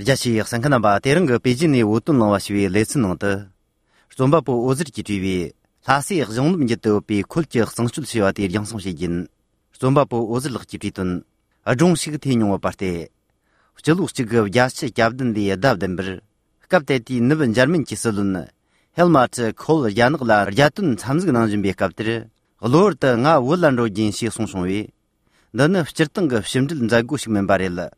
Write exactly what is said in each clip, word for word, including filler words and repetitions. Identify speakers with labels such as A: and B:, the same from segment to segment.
A: 자시 상칸나바 대릉거 베이징의 우tun나와시위 레슨능的 좀바부 오즈르기주위 라시 정문제도 비 콜지 성출시와디 양성시진 좀바부 오즈르기주위든 아종식 대용어 파테 절룩지가 야시 잡든디 답든버 갑데티 느번 자르민치 설은 헬마트 콜 야능라 야튼 참즈그난 준비 갑들 글로르다 nga 월란로 진시 송송위 너는 휘르등거 심들 자고식면 바렐라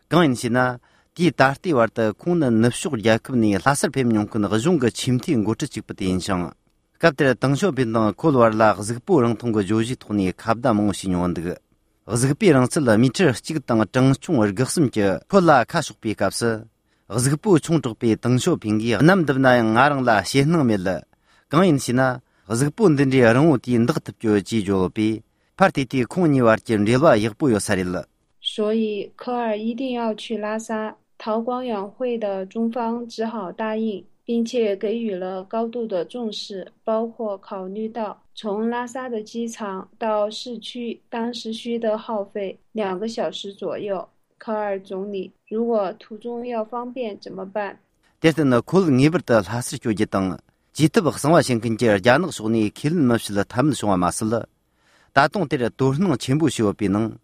A: 강인시나 디 다르티 와르다 콩는 납슈글 야크브니 라서 뱀용큰 거중거 침티 고트 직부터 인상 갑들 당쇼 빈당 콜와라 즈그포랑 통고 조지 토니 갑다 몽신용원드 즈그피랑 쓸라 미터 찍당 정충 얼격심게 콜라 카슈비 갑스 즈그포 총적비 당쇼 빙기 남드나양 아랑라 시능멜라 강인시나 즈그포 딘디 아랑우티 인덕탑교 지조비 파티티 콩니 와르진 릴와 역부요 사릴라
B: 所以科尔一定要去拉萨，陶光远会的中方只好答应，并且给予了高度的重视，包括考虑到从拉萨的机场到市区当时需的耗费两个小时左右。科尔总理，如果途中要方便怎么办？
A: 대신에 콜 니버다 하스 교제당 지트버 성화신근제 야능 소니 길은 맙실 탐송아 마슬 다동들의 도르는 전부 시오비는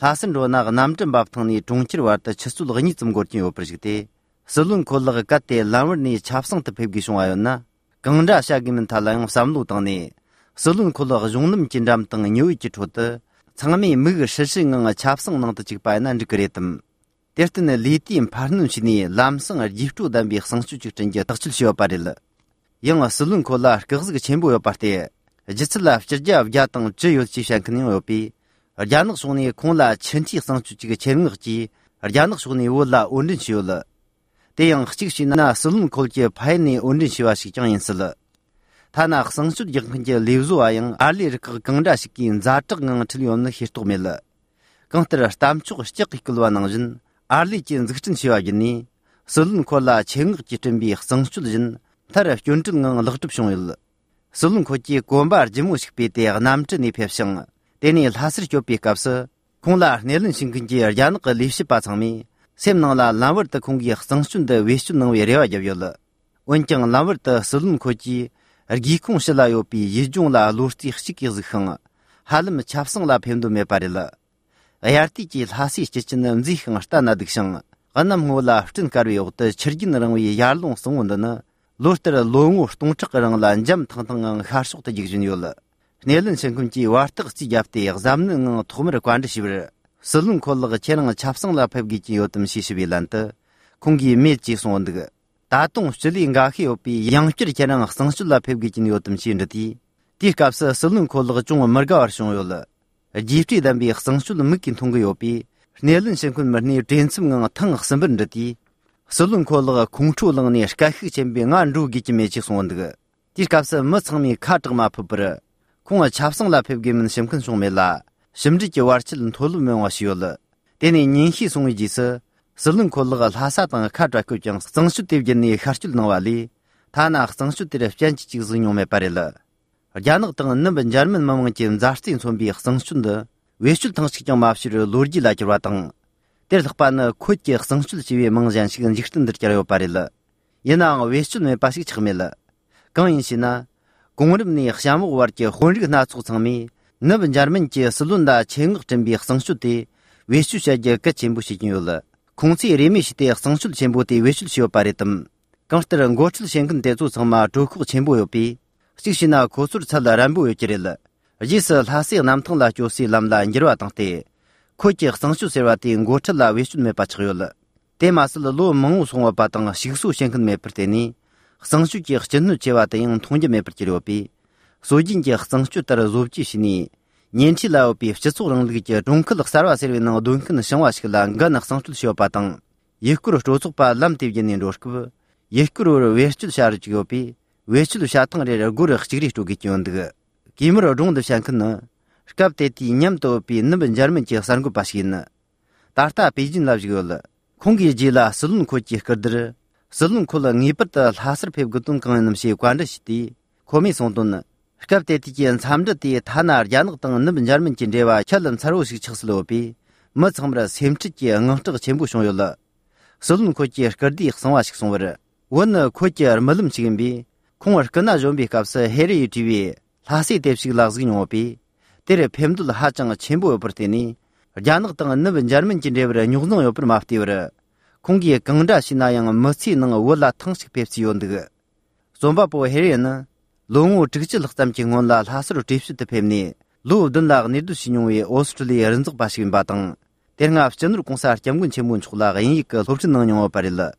A: 라슨로나가 남전 밥통니 종치르 왔다 쳇술거니 좀 거진 요프르시데 설룬 콜라가 까테 라머니 잡성트 뵙기송아였나 강자 샤기면 탈랑 삼루당니 설룬 콜라가 종름 진담당 녀이치 토트 창미 무그 실싱응아 잡성능도 직바이난 그랬음 데르트네 리티임 파르눈시니 람성을 지프투단 비 성수직 전제 덕출시어 바릴라 영어 설룬 콜라 그즈가 전부여 파테 지슬라 저 야당 저요 지샹크닝 요비 야능 소니 콩라 천치 성주지가 제능지 야능 소니 월라 온든시올라 대양 흑식시나 설룬 콜제 파이니 온든시와시 장인슬라 타나 성수 역근제 리우즈와양 알리르크 강자시킨 자적능 틀리온의 히스토멜라 강트라 스탐축 시적이클와능진 알리진 즈그튼 시와기니 설룬 콜라 쟁흑지 준비 성수진 타라 윤증능 럭줍숑일 설룬 콜지 곰바 지무식 비대 남트니 펩싱 데니 하스르 교피캅스 콩라 네른 싱근지 야능 리시 바창미 셈능라 라버트 콩기 성순데 외순능 외려와 잡열라 원정 라버트 설룬 콜지 기콩 실라요피 이중라 로스티 хикизхэн халым чавсанла пемдуме парила аяртики хаси чичнэн зихэн артанадгшэн ганам гола хтэн карви огт чиргинрэнгүй ярлун сунгондана лортер лонгу штунчгэрэн ланжам тантан харшугт жигжин ёл нэлэн шэнкүнчи вартыг чи япты ягзамнын тухмэр кванд шивэр сэлэн коллыг чэнэн чавсанла певгичи ётым шишибиланты kungi meji sondig datung shili ngahi opi yangchir kenang sangshula pebgijin yotum shindati ti kapsa sulun kolg chung marga arshong yol jifti dambi sangshul mikin thong yopi nelin shenkun marni tensum ngang thang sambirndati sulun kolg kungchu lang ne shkakhi chembe ngan ru gi meji sondig ti kapsa matsami khatgma pubra kunga chapsangla pebgimin shemkun songmela shimji ji warchil tholu mewa shiyol deni ninhi songi jisa 설른 콜러가 하사당 카드라고 장 성수 대변이 харчул навали 타나 성수 대래 편지 지금 용매 빠르라 야능 등은 넘은 젊은 마음은 자스틴 손비 성수인데 외출 당식장 마압시를 로지라지 왔당 대덕반의 코치 성수 지위 멍잔 시간 직선들 자료 빠르라 예나 외출매 빠식 çıx멜라 강인시나 공르브니 샤무 워르게 혼리가 나츠 상미 넘은 젊은 지 설른다 챙극 준비 성수대 외출샤게 끝진 부시긴 요라 공치 레미시대 성술 전부대 외출 시어 바랬음 강스터는 고출 생근 대조 정마 조크 전부요비 식시나 고술 살라람부 요지렐 지스 하시 남통라 조시 람라 인지와 당테 코지 성술 세와티 고출라 외출메 빠치요ل 데마슬 로 멍우 송와 바당 식수 생근 메프테니 성수지 전누 제와다인 통제 메프지료비 소진지 성수 따라 조지시니年纪老比十数人的中科的三万岁人都可能生活起来，我那上出小巴当，一个人做做把蓝地年多个，一个人维持下来就比维持下趟的个人自己做个样的，基本上中的想可能，搞得第年都比那边家们接三个八千呢，大大北京那这个了，空气机啦，斯伦科技个的，斯伦科了你不得哈斯配个东港那些关的是的，可没送东呢。갑대티겐 삼드디 타나 야능 등 넘은 젊은 진제와 찰름 차로식 척슬로비 머청브라 셈치기 응응적 전부 쇼요라 Solun Kochi Kardi Xangwashik Songwar, one Kochi Malum Chigimbi, Kongwar Kana Zombi Kapsa Harry T V, Lasi Depsik Lazgin Opi, Tere Pemdul Hachang Chimbo Pertini, Janak Tang Navin German Jindever, Nugno Oper Maftiver, Kongi Gangda Sinayang Mercy Nang Walla Tangsik Pepsi Yondig. Zombapo Harrian, Longu Trixil Tamching La Hasro Tips the Pemni, Lu Dunlag Nidu Sinui, Australia Renzuk Bashin Batang, Tenga General Concert Jamun Chemun Chula, Ink, Lopton Parilla.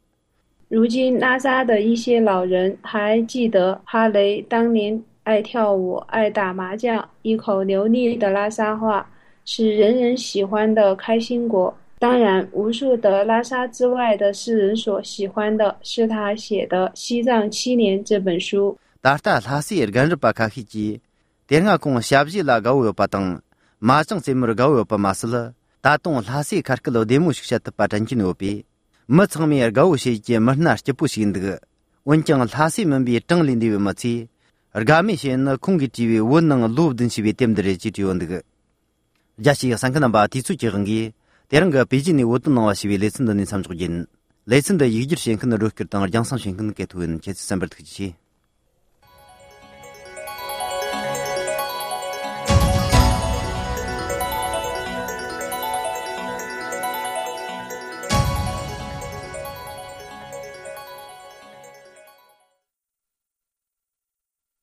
B: 如今拉萨的一些老人还记得哈雷当年爱跳舞、爱打麻将，一口流利的拉萨话是人人喜欢的开心果。当然，无数的拉萨之外的世人所喜欢的是他写的《西藏七年》这本书。
A: 达达拉西尔干日巴卡希基，点个公下不拉高有巴登，马上节目高有巴马斯了，打动拉西卡克罗德木学的巴占金牛逼。没层面高些节没那些不行的，我讲拉西们比正林的没起，而俺们现在空气 T V 我能录东西比点的人就这样的。假使三个人把提出这个的，第二个毕竟你我都能话是为雷森的你参照人，雷森的一直先跟着罗克当江上先跟给图人，这是三百特区。